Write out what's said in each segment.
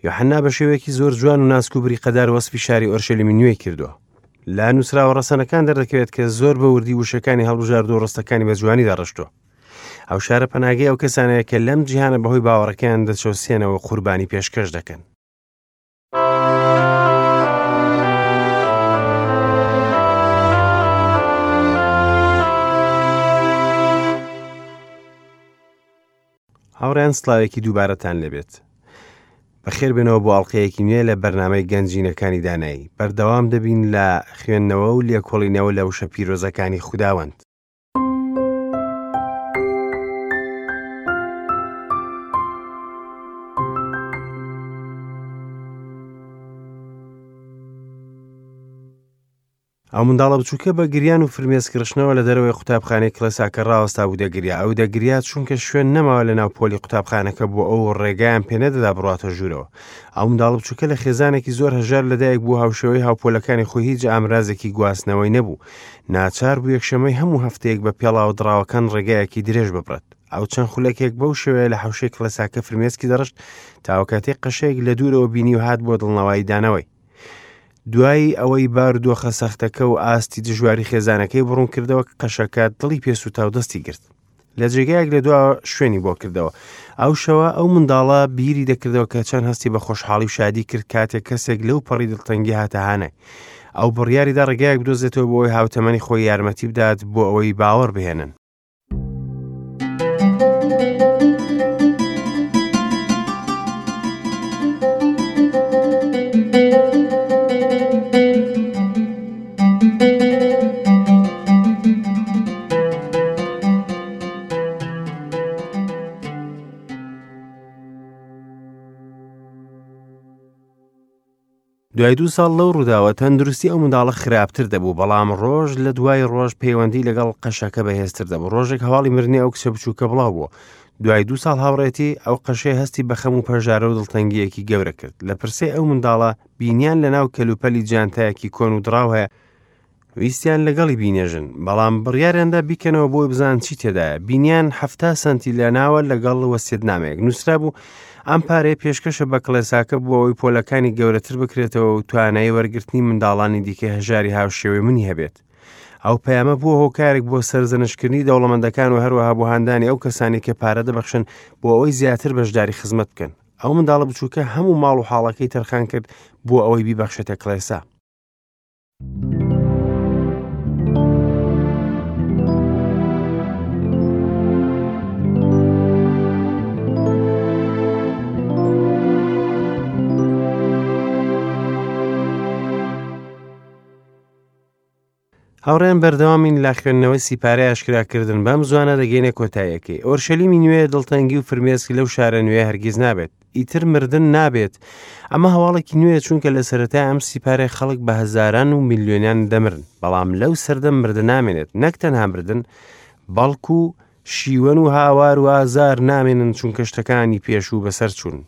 یۆحەنا بە شێوەیەکی زۆر جوان و ناسک و بریقەدار وەسفی شاری ئۆرشەلیمی نوێی کردووە. لە نووسراوە ڕەسەنەکان دەردەکەوێت کە زۆر بە وردی وشەکانی هەڵبژاردووە و ڕستەکانی بە جوانی داڕشتووە. ئەو شارە پەناگەی ئەو کەسانەیە کە لەم جیهانە بەهۆی باوەڕەکەیان دەچەوسێنەوە و قوربانی پێشکەش دەکەن. هاوڕێیان سڵاوێکی دووبارەتان لێبێت. بەخێر بێنەوە بۆ ئەڵلقەیەکی نوێ لە بەرنامەی گەنجینەکانی دانایی. بەردەوام دەبین لە خوێندنەوە و لێکۆڵینەوە لە وشە پیرۆزەکانی خوداوەند. ئەو منداڵە بچووکە بە گریان و فرمێسکڕشتنەوە لە دەرەوەی قوتابخانەی کڵێساکە ڕاوەستا بوو دەگریا ئەو دەگریا چونکە شوێن نەماوە لە ناو پۆلی قوتابخانەکە بۆ ئەو ڕێگایان پێنەدەدا بڕاتە ژوورەوە ئەو منداڵە بچووکە لە خێزانێکی زۆر هەژار لەدایک بوو هاوشێوەی هاوپۆلەکانی خۆی هیچ ئامرازێکی گواستنەوەی نەبوو ناچار بوو یەکشەمەی هەموو هەفتەیەک بە پێڵاوە دڕاوەکان ڕێگایەکی درێژ ببڕێت ئەو چەند خولەکێک بەو شێوەیە لە حەوشەی کڵێساکە فرمێسکی دەڕشت تاوەکاتێک قەشەیەک لە دوورەوە بینی و هات بۆ دڵنەوایی دانەوەی دوای ئەوەی بارودۆخە سەختەکە و ئاستی دژواری خێزانەکەی بڕون کردەوە قەشەکە دڵی پێسوتا و دەستی گرت لە جێگایەک لە دوا شوێنی بۆ کردەوە ئەو شەوە ئەو منداڵە بیری دەکردەوە کە چەند هەستی بە خۆشحاڵی و شادی کرد کاتێک کەسێک لەو پەڕی دڵتەنگی هاتە هانای ئەو بڕیاریدا ڕێگایەک بدۆزێتەوە بۆ ئەوەی هاوتەمەنی خۆی یارمەتی بدات بۆ ئەوەی باوەڕ بهێنن دوای دوو ساڵ لەو ڕووداوە تەندروستی ئەو منداڵە خراپتر دەبوو بەڵام ڕۆژ لە دوای ڕۆژ پەیوەندی لەگەڵ قەشەکە بەهێزتر دەبوو ڕۆژێک هەواڵی مردنی ئەو کچە بچووکە بڵاو بووە دوای دوو ساڵ هاوڕێتی ئەو قەشەی هەستی بە خەم و پەژارە و دڵتەنگیەکی گەورە کرد لە پرسەی ئەو منداڵە بینیان لە ناو کەلوپەلی جانتایەکی کۆن و دڕاو هەیە ویستیان لەگەڵی بینێژن، بەڵام بڕیاریاندا بیکەنەوە بۆی بزان چی تێدایە. بینیان 70 سەنتی لەناوە لەگەڵ وەسیەتنامەیەک. نووسرابوو، ئەم پارەیە پێشکەشە بە کڵێساکە بۆ ئەوەی پۆلەکانی گەورەتر بکرێتەوە و توانایی وەرگرتنی منداڵانی دیکەی هەژاری هاوشێوەی منی هەبێت. ئەو پەیامە بووە هۆکارێک بۆ سەرزەنشتکردنی دەوڵەمەندەکان و هەروەها بۆ هاندانی ئەو کەسانی کە پارە دەبەخشن بۆ ئەوەی زیاتر بەشداری خزمەت بکەن. ئەو منداڵە بچووکە هەموو ماڵ و حاڵەکەی تەرخان کرد بۆ ئەوەی بیبەخشێتە کڵێسا. هاوڕێیان بەردەوامین لە خوێندنەوەی سیپارەی ئاشکراکردن بەم زوانە دەگەینە کۆتاییەکەی ئۆرشەلیمی نوێ دڵتەنگی و فرمێسک لەو شارە نوێ هەرگیز نابێت ئیتر مردن نابێت ئەمە هەواڵێکی نوێ چونکە لە سەرەتای ئەم سیپارەی خەڵک بە هەزاران و میلیۆنیان دەمرن بەڵام لەو سەردەم مردن نامێنێت نەک تەنها مردن بەڵکو شیوەن و هاوار و ئازار نامێنن چونکە شتەکانی پێشوو بەسەر چوون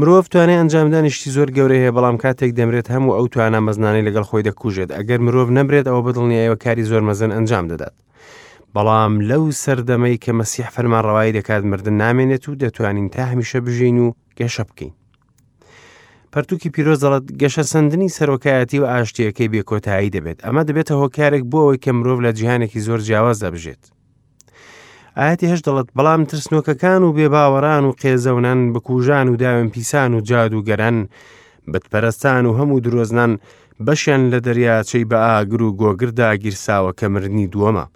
مرۆڤ توانای ئەنجامدانی شتی زۆر گەورەی هەیە بەڵام کاتێک دەمرێت هەموو ئەو توانا مەزنانەی لەگەڵ خۆی دەکوژێت ئەگەر مرۆڤ نەمرێت ئەوە بەدڵنیایەوە کاری زۆر مەزن ئەنجام دەدات بەڵام لەو سەردەمەی کە مەسیح فەرمانڕەوایی دەکات مردن نامێنێت و دەتوانین تا هەمیشە بژین و گەشە بکەین پەرتوکی پیرۆز دەڵێت گەشەسەندنی سەرۆکایەتی و ئاشتیەکەی بێکۆتایی دەبێت ئەمە دەبێتە هۆکارێک بۆ ئەوەی کە مرۆڤ لە جیهانێکی زۆر جیاوازدا بژێت ئاەتی هەش دەڵێت بەڵام ترسنۆکەکان و بێباوەڕان و قێزەونان بکوژان و داوێن پیسان و جادوگەران بتپەرستان و هەموو درۆزنان بەشیان لە دەریاچەی بە ئاگر و گۆگردا گیرساوە کە مردنی دووەمە.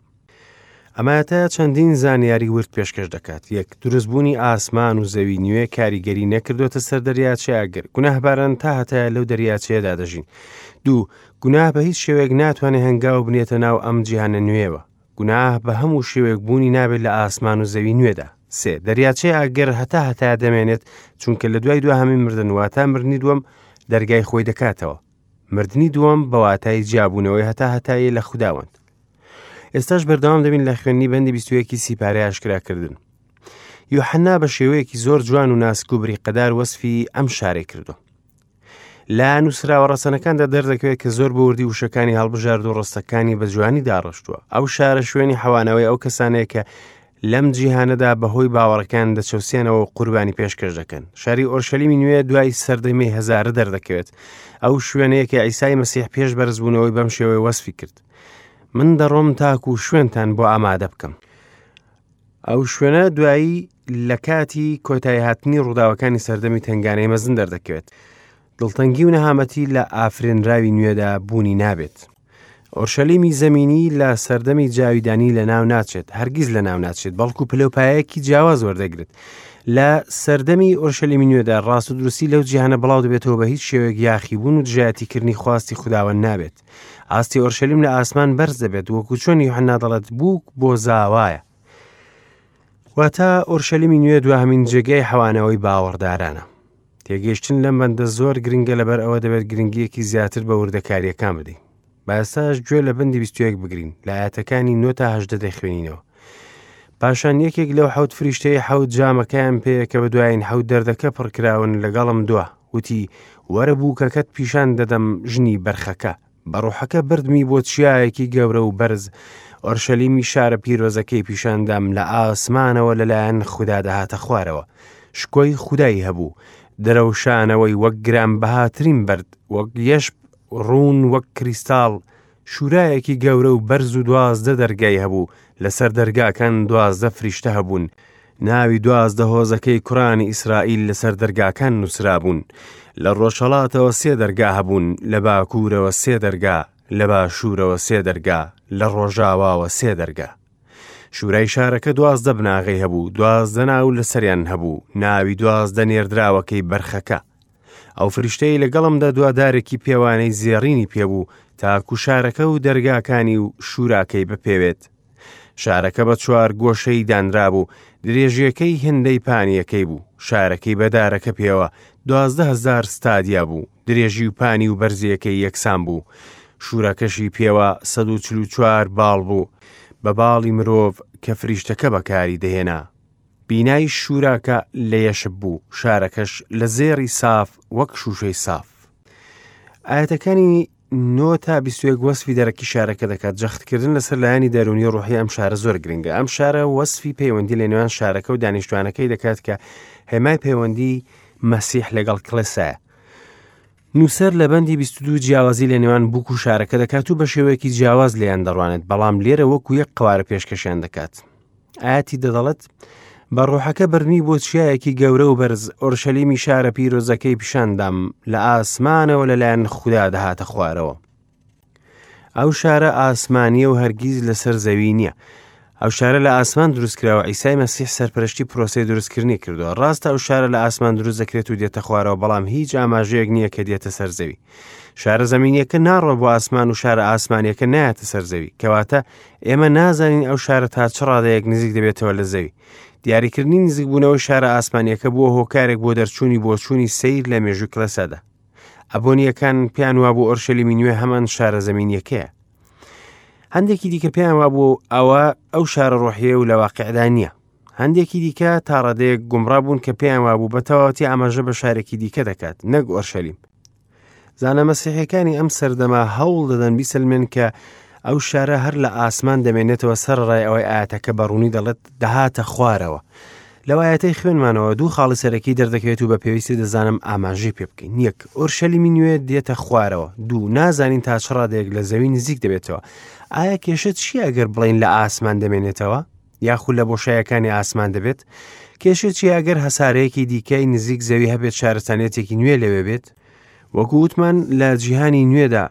ئەمایەتە چەندین زانیاری ورد پێشکەش دەکات یەک دروستبوونی ئاسمان و زەوی نوێ کاریگەری نەکردوێتە سەر دەریاچەی ئاگر گوناهباران تا هەتایە لەو دەریاچەیەدا دەژین دوو گوناه بە هیچ شێوەیەک ناتوانێت هەنگاو بنێتە ناو ئەم جیهانە نوێوە گوناه بە هەموو شێوەیەک بوونی نابێت لە ئاسمان و زەوی نوێدا. سێ، دەریاچەی ئاگر هەتا هەتایە دەمێنێت، چونکە لە دوای دواهەمین مردن واتە مردنی دووەم دەرگای خۆی دەکاتەوە. مردنی دووەم بە واتای جیابوونەوەی هەتا هەتایە لە خوداوەند. ئێستاش بەردەوام دەبین لە خوێندنی بەندی 21 سیپارەی ئاشکراکردن. یوحەنا بە شێوەیەکی زۆر جوان و ناسک و بریقەدار وەسفی ئەم شارەی کردووە. لە نووسراوە ڕەسەنەکاندا دەردەکەوێت کە زۆر بە وردی وشەکانی هەڵبژارد و ڕستەکانی بە جوانی داڕشتووە. ئەو شارە شوێنی حەوانەوەی ئەو کەسانەیە کە لەم جیهانەدا بەهۆی باوەڕەکان دەچەوسێنەوە و قوربانی پێشکەش دەکەن. شاری ئۆرشەلیمی نوێ دوای سەردەمی هەزارە دەردەکەوێت. ئەو شوێنەیە کە عیسای مەسیح پێش بەرزبوونەوەی بەم شێوەیە وەسفی کرد. من دەڕۆم تاکو شوێنتان بۆ ئامادە بکەم. ئەو شوێنە دوایی لە کاتی کۆتایی هاتنی ڕووداوەکانی سەردەمی تنگانەی مەزن دەردەکەوێت. دڵتەنگی و نەهامەتی لە ئافرێنراوی نوێدا بوونی نابێت. ئۆرشەلیمی زەمینی لە سەردەمی جاویدانی لە ناو ناچێت، هەرگیز لە ناو ناچێت، بەڵکو پلەوپایەکی جیاواز وەردەگرێت. لە سەردەمی ئۆرشەلیمی نوێدا ڕاست و دروستی لەو جیهانە بڵاو دەبێتەوە بە هیچ شێوەیەک یاخیبوون و دژایەتیکردنی خواستی خوداوەند نابێت. ئاستی ئۆرشەلیم لە ئاسمان بەرز دەبێت، وەکو چۆن یوحەنا دەڵێت بووک بۆ زاوایە. واتە ئۆرشەلیمی نوێ دواهەمین جێگای حەوانەوەی باوەڕدارانە. تێگەیشتن لەم بەندە زۆر گرنگە لەبەر ئەوە دەبێت گرنگیەکی زیاتر بە وردەکاریەکان بدەین. با ئێستاش گوێ لە بەندی 21 بگرین لە ئاەتەکانی 9 تا 18 دەخوێنینەوە. پاشان یەکێک لەو حەوت فریشتەی حەوت جامەکەیان پێیە کە بە دوایین حەوت دەردەکە پڕکراون لەگەڵم دوا وتی وەرە بووکەکەت پیشان دەدەم ژنی بەرخەکە بە ڕۆحەکە بردمی بۆ چیایەکی گەورە و بەرز ئۆرشەلیمی شارە پیرۆزەکەی پیشاندام لە ئاسمانەوە لەلایەن خودا دەهاتە خوارەوە شکۆی خودای هەبوو دەرەوشانەوەی وەک گرانبەهاترین بەرد وەک یەشب ڕوون وەک کریستاڵ شورایەکی گەورە و بەرز و 12 دەرگای هەبوو لەسەر دەرگاکان 12 فریشتە هەبوون ناوی 12 هۆزەکەی کوڕانی ئیسرائیل لەسەر دەرگاکان نووسرابوون لە ڕۆژهەڵاتەوە سێ دەرگا هەبوون لە باکوورەوە سێ دەرگا لە باشوورەوە سێ دەرگا لە ڕۆژاواوە سێ دەرگا شورای شارەکە 12 بناغەی هەبوو 12 ناو لەسەریان هەبوو ناوی 12 نێردراوەکەی بەرخەکە ئەو فریشتەی لەگەڵمدا دوا دارێکی پێوانەی زێڕینی پێبوو تاکو شارەکە و دەرگاکانی و شوراکەی بپێوێت. شارەکە بە چوار گۆشەی دانرابوو، درێژیەکەی هێندەی پانیەکەی بوو، شارەکەی بە دارەکە پێوە 12,000 ستادیا بوو، درێژی و پانی و بەرزیەکەی یەکسان بوو، شوراکەشی پێوە 144 باڵ بوو، بە باڵی مرۆڤ کە فریشتەکە بەکاری دەهێنا. بینای شوراکە لە یەشب بوو، شارەکەش لە زێڕی ساف وەک شووشەی ساف. ئایەتەکانی 9 تا 21 وەسفی دەرەکی شارەکە دەکات جەختکردن لەسەر لایەنی دەروونی ڕۆحی ئەم شارە زۆر گرنگە ئەم شارە وەسفی پەیوەندی لە نێوان شارەکە و دانیشتوانەکەی دەکات کە هێمای پەیوەندی مەسیح لەگەڵ کڵێسایە نووسەر لە بەندی 22 جیاوازی لە نێوان بووک و شارەکە دەکات و بە شێوەیەکی جیاواز لێیان دەڕوانێت بەڵام لێرە وەکو یەک قوارە پێشکەشیان دەکات ئاەتی دەدەڵێت بە ڕۆحەکە بردمی بۆ چیایەکی گەورە و بەرز ئۆرشەلیمی شارە پیرۆزەکەی پیشاندام لە ئاسمانەوە لەلایەن خودا دەهاتە خوارەوە ئەو شارە ئاسمانیە و هەرگیز لەسەر زەوی نییە ئەو شارە لە ئاسمان دروستکراوە ئیسای مەسیح سەرپەرشتی پرۆسەی دروستکردنی کردووە ڕاستە ئەو شارە لە ئاسمان دروست دەکرێت و دێتە خوارەوە بەڵام هیچ ئاماژەیەک نییە کە دێتە سەر زەوی شارە زەمینیەکە ناڕۆ بۆ ئاسمان و شارە ئاسمانیەکە نایەتە سەر زەوی کەواتە ئێمە نازانین ئەو شارە تا چ ڕادەیەک نزیک دەبێتەوە لە زەوی دیاریکردنی نزیکبوونەوەی شارە ئاسمانیەکە بووە هۆکارێک بۆ دەرچوونی بۆچوونی سیر لە مێژوو کلەسەدا ئەبۆنیەکان پێیان وابوو ئۆرشەلیمی نوێ هەمان شارە زەمینیەکەیە هەندێکی دیکە پێیان وابوو ئەوە ئەو شارە ڕۆحیە و لە واقعدا نییە هەندێکی دیکە تاڕادەیەک گومڕا بوون کە پێیان وابوو بە تەواوەتی ئاماژە بە شارێکی دیکە دەکات نەک ئۆرشەلیم زانە مەسیحەکانی ئەم سەردەمە هەوڵ دەدەن بیسەلمێن کە ئەو شارە هەر لە ئاسمان دەمێنێتەوە سەر ڕای ئەوەی ئاەتەکە بە ڕوونی دەڵێت دەهاتە خوارەوە لەو ئایەتەی خوێنمانەوە دوو خاڵی سەرەکی دەردەکەوێت و بە پێویستی دەزانم ئاماژەی پێ بکەین یەک ئۆرشەلیمی نوێ دێتە خوارەوە دوو نازانین تا چ ڕادەیەک لە زەوی نزیک دەبێتەوە ئایا کێشە چییە ئەگەر بڵین لە ئاسمان دەمێنێتەوە یاخود لە بۆشایەکانی ئاسمان دەبێت کێشە چییە ئەگەر هەسارەیەکی دیکەی نزیک زەوی هەبێت شارستانیەتێکی نوێ لەوێ بێت وەکو وتمان لە جیهانی نوێدا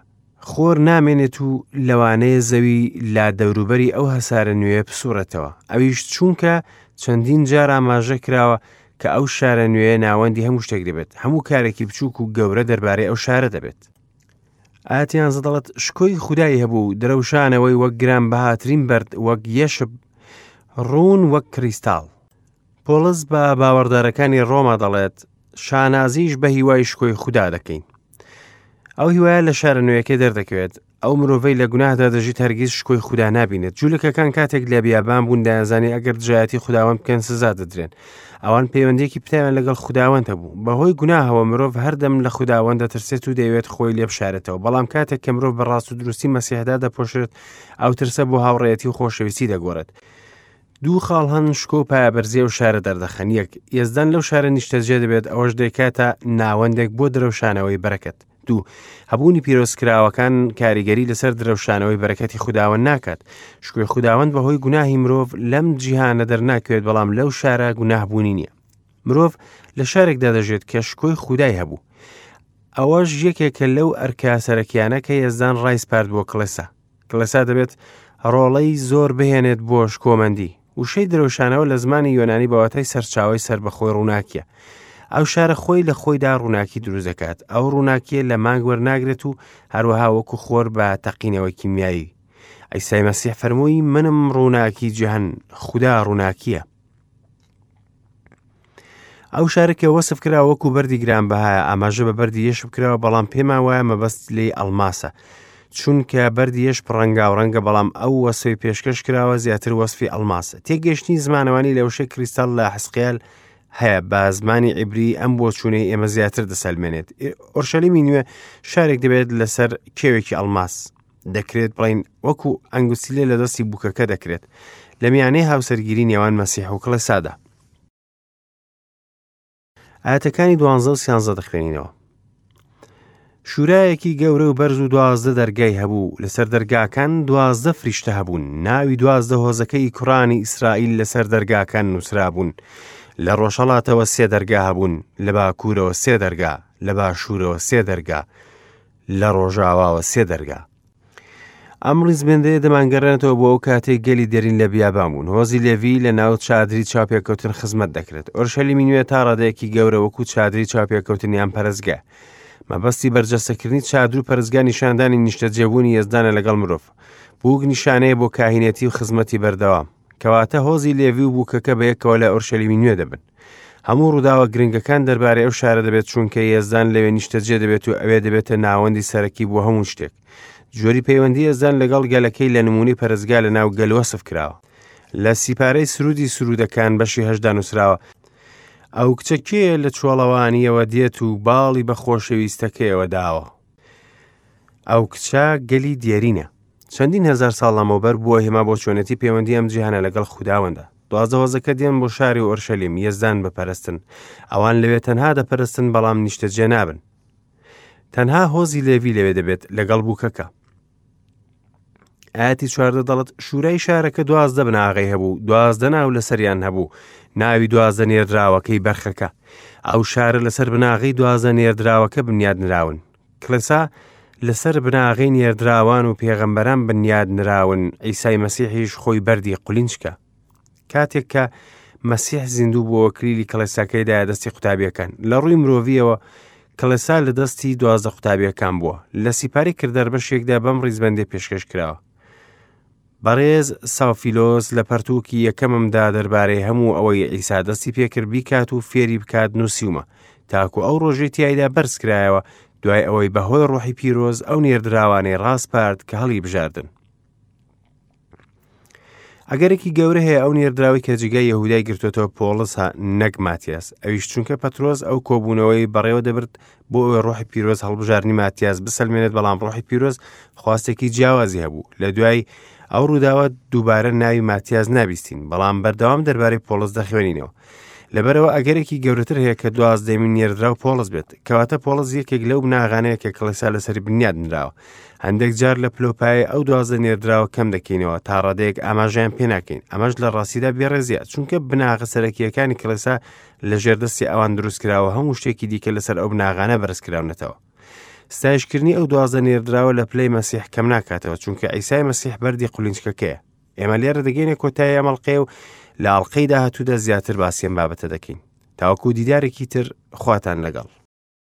خۆر نامێنێت و لەوانەیە زەوی لە دەوروبەری ئەو هەسارە نوێیە بسوڕێتەوە، ئەویش چونکە چەندین جار ئاماژە کراوە کە ئەو شارە نوێیە ناوەندی هەموو شتێک دەبێت، هەموو کارێکی بچووک و گەورە دەربارەی ئەو شارە دەبێت. ئایەتی یانزە دەڵێت شکۆی خودای هەبوو، درەوشانەوەی وەک گرانبەهاترین بەرد، وەک یەشب، ڕوون وەک کریستاڵ. پۆڵس بە باوەڕدارەکانی ڕۆما دەڵێت، شانازیش بە هیوای شکۆی خودا دەکەین. ئەو هیوایە لە شارە نوێیەکەی دەردەکەوێت. ئەو مرۆڤەی لە گوناهدا دەژیت هەرگیز شکۆی خودا نابینێت. جولەکەکان کاتێک لە بیابان بوون دەیانزانی ئەگەر دژایەتی خوداوەند بکەن سزا دەدرێن. ئەوان پەیوەندیەکی پتەویان لەگەڵ خوداوەند هەبوو. بەهۆی گوناهەوە مرۆڤ هەردەم لە خوداوەند دەترسێت و دەیەوێت خۆی لێ بشارێتەوە. بەڵام کاتێک کە مرۆڤ بە ڕاست و دروستی مەسیحدا دەپۆشرێت، ئەو ترسە بۆ هاوڕێیەتی و خۆشەویستی دەگۆڕێت. دوو خاڵ هەن شکۆ و پایەبەرزی ئەو شارە دەردەخەن، یەک، یەزدان لەو شارە نیشتەجێ دەبێت، ئەوەش دەیکاتە ناوەندێک بۆ درەوشانەوەی بەرەکەت. دوو، هەبوونی پیرۆزکراوەکان کاریگەری لەسەر درەوشانەوەی بەرەکەتی خوداوەند ناکات. شکۆی خوداوەند بەهۆی گوناهی مرۆڤ لەم جیهانە دەرناکەوێت، بەڵام لەو شارە گوناه بوونی نییە. مرۆڤ لە شارێکدا دەژێت کە شکۆی خودای هەبوو. ئەوەش یەکێکە لەو ئەرکە سەرەکیانە کە یەزدان ڕایسپارد بۆ کڵێسا. کڵێسا دەبێت ڕۆڵەی زۆر بهێنێت بۆ شکۆمەندی. وشەی درەوشانەوە لە زمانی یۆنانی بە واتای سەرچاوەی سەربەخۆی ڕووناکیە. ئەو شارە خۆی لە خۆیدا ڕووناکی دروست دەکات. ئەو ڕووناکیە لە مانگ وەرناگرێت و هەروەها وەکو خۆر بە تەقینەوەی کیمیایی. عیسای مەسیح فەرمووی منم ڕووناکی جیهان، خودا ڕووناکیە. ئەو شارە کە وەسف کرا وەکو بەردی گرانبەهایە ئاماژە بە بەردی یەشب کراوە بەڵام پێمان وایە مەبەست لێی ئەڵماسە چونکە بەردی یەش ڕەنگاو ڕەنگە بەڵام ئەو وەسفی پێشکەش کراوە زیاتر وەسفی ئەڵماسە تێگەشتنی زمانەوانی لە وشەی کریستال لە حسقیال هەیە بە زمانی عیبری ئەم بۆچوونەی ئێمە زیاتر دەسەلمێنێت ئۆرشەلیمی نوێ شارێک دەبێت لەسەر کێوێکی ئەڵماس دەکرێت بڵین وەکو ئەنگوستیلە لە دەستی بووکەکە دەکرێت لە میانەی هاوسەرگیری نێوان مەسیح و کڵێسادا. ئاەتەکانی دوانزە و سیانزە دەخوێنینەوە. شوورایەکی گەورە و بەرز و دوازدە دەرگای هەبوو لەسەر دەرگاکان دوازدە فریشتە هەبوون ناوی دوازدە هۆزەکەی کوڕانی ئیسرائیل لەسەر دەرگاکان نووسرابوون لە ڕۆژهەڵاتەوە سێ دەرگا هەبوون لە باکوورەوە سێ دەرگا لە باشوورەوە سێ دەرگا لە ڕۆژاواوە سێ دەرگا. ئەم ڕیزبەندەیە دەمانگەڕێنێتەوە بۆ ئەو کاتەی گەلی دێرین لە بیابان بوون. هۆزی لێڤی لە ناو چادری چاوپێکەوتن خزمەت دەکرێت. ئۆرشەلیمی نوێ تا ڕادەیەکی گەورە وەکو چادری چاوپێکەوتن یان پەرستگا. مەبەستی بەرجەستەکردنی چادر و پەرستگا نیشاندانی نیشتەجێبوونی یەزدانە لەگەڵ مرۆڤ. بووک نیشانەیە بۆ کاهینێتی و خزمەتی بەردەوام. کەواتە هۆزی لێڤی و بووکەکە بەیەکەوە لە ئۆرشەلیمی نوێ دەبن. هەموو ڕووداوە گرنگەکان دەربارەی ئەو شارە دەبێت چونکە یەزدان لەوێ نیشتەجێ دەبێت و ئەوێ دەبێتە ناوەندی سەرەکی بۆ هەموو شتێک. جۆری پەیوەندی یەزدان لەگەڵ گەلەکەی لە نموونەی پەرستگا لە ناو گەل وەسف کراوە. لە سیپارەی سروودی سروودەکان بەشی هەشتدا نووسراوە، ئەو کچە کێیە لە چۆڵەوانییەوە دێت و باڵی بە خۆشەویستەکەیەوە داوە؟ ئەو کچە گەلی دێرینە. چەندین هەزار ساڵ لەمەوبەر بووە هێما بۆ چۆنێتی پەیوەندی ئەم جیهانە لەگەڵ خوداوەندا. دوازدە هۆزەکە دێن بۆ شاری ئۆرشەلیم یەزدان بپەرستن. ئەوان لەوێ تەنها دەپەرستن بەڵام نیشتەجێ نابن. تەنها هۆزی لێڤی لەوێ دەبێت لەگەڵ بووکەکە. ئاەتی چواردە دەڵێت شورای شارەکە دوازدە بناغەی هەبوو دوازدە ناو لەسەریان هەبوو ناوی دوازدە نێردراوەکەی بەرخەکە ئەو شارە لەسەر بناغەی دوازدە نێردراوەکە بنیاد نراون کڵێسا لەسەر بناغەی نێردراوان و پێغەمبەران بنیاد نراون عیسای مەسیحیش خۆی بەردی قولینچکە کاتێک کە مەسیح زیندوو بووەوە کلیلی کڵێساکەی دایە دەستی قوتابیەکان لە ڕووی مرۆڤیەوە کڵێسا لە دەستی دوازدە قوتابیەکان بووە لە سیپاری کردار بەشێکدا بەم ڕیزبەندێ پێشکەش کراوە بەڕێز ساوفیلۆس لە پەرتووکی یەکەممدا دەربارەی هەموو ئەوەی عیسا دەستی پێکرد بیکات و فێری بکات نووسیومە تاکو ئەو ڕۆژەی تیایدا بەرزکرایەوە دوای ئەوەی بەهۆی ڕۆحی پیرۆز ئەو نێردراوانەی ڕاسپارد کە هەڵی بژاردن. ئەگەرێکی گەورە هەیە ئەو نێردراوەی کە جێگای یەهودای گرتوێتەوە پۆڵسە نەک ماتیاس ئەویش چونکە پەترۆس ئەو کۆبوونەوەی بەڕێوە دەبرد بۆ ئەوەی ڕۆحی پیرۆز هەڵبژاردنی ماتیاس بسەلمێنێت بەڵام ڕۆحی پیرۆز خواستێکی جیاوازی هەبوو لە دوای ئەو ڕووداوە دووبارە ناوی ماتیاس نابیستین بەڵام بەردەوام دەربارەی پۆڵس دەخوێنینەوە لەبەرەوە ئەگەرێکی گەورەتر هەیە کە دوازدەمین نێردراو پۆڵس بێت کەواتە پۆڵس یەکێک لەو بناغانەیە کە کڵێسا لەسەری بنیاد نراوە هەندێک جار لە پلۆپایە ئەو دوازدە نێردراوە کەم دەکەینەوە تا ڕادەیەک ئاماژەیان پێ ناکەین ئەمەش لە ڕاستیدا بێڕێزیە چونکە بناغە سەرەکیەکانی کڵێسا لە ژێر دەستی ئەوان دروست کراوە هەموو شتێکی دیکە لەسەر ئەو بناغانە بەرزکراونەتەوە ستایشکردنی ئەو دوازدە نێردراوە لە پلەی مەسیح کەم ناکاتەوە چونکە عیسای مەسیح بەردی قولینچکەکەیە ئێمە لێرە دەگەینە کۆتایی ئەم ئەڵقەیە و لە ئەڵقەی داهاتوودا زیاتر باسی ئەم بابەتە دەکەین تاوەکو دیدارێکی تر خواتان لەگەڵ.